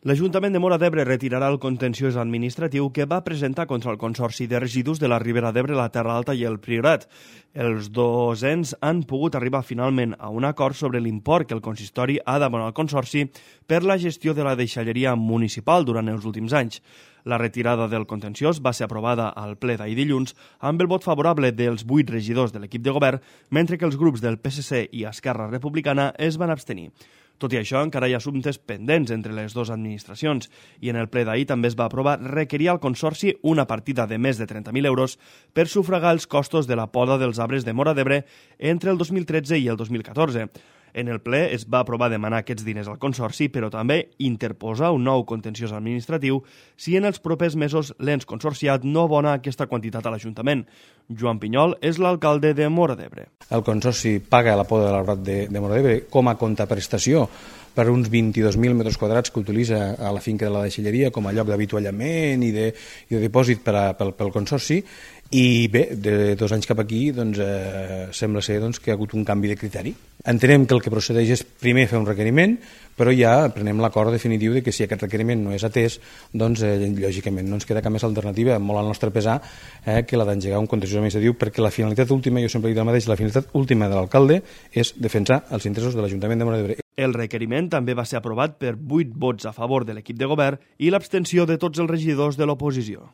L'Ajuntament de Móra d'Ebre retirarà el contenciós administratiu que va presentar contra el Consorci de Residus de la Ribera d'Ebre, la Terra Alta i el Priorat. Els dos ens han pogut arribar finalment a un acord sobre l'import que el consistori ha d'abonar al Consorci per la gestió de la deixalleria municipal durant els últims anys. La retirada del contenciós va ser aprovada al ple d'ahir dilluns amb el vot favorable dels 8 regidors de l'equip de govern, mentre que els grups del PSC i Esquerra Republicana es van abstenir. Tot i això, encara hi ha assumptes pendents entre les dues administracions i en el ple d'ahir també es va aprovar requerir al Consorci una partida de més de 30.000 euros per sufragar els costos de la poda dels arbres de Móra d'Ebre entre el 2013 i el 2014. En el ple es va aprovar demanar aquests diners al Consorci, però també interposar un nou contenciós administratiu si en els propers mesos l'ens consorciat no abona aquesta quantitat a l'Ajuntament. Joan Pinyol és l'alcalde de Móra d'Ebre. El Consorci paga la poda de l'arbrat de Móra d'Ebre com a contraprestació per uns 22.000 metres quadrats que utilitza a la finca de la deixalleria com a lloc d'avituallament i de dipòsit pel Consorci. I bé, de 2 anys cap aquí sembla ser que hi ha hagut un canvi de criteri. Entenem que el que procedeix és primer fer un requeriment, però ja prenem l'acord definitiu de que si aquest requeriment no és atès, lògicament no ens queda cap més alternativa, molt al nostre pesar, que la d'engegar un contenciós administratiu, perquè la finalitat última, jo sempre he dit el mateix, la finalitat última de l'alcalde és defensar els interessos de l'Ajuntament de Móra d'Ebre. El requeriment també va ser aprovat per 8 vots a favor de l'equip de govern i l'abstenció de tots els regidors de l'oposició.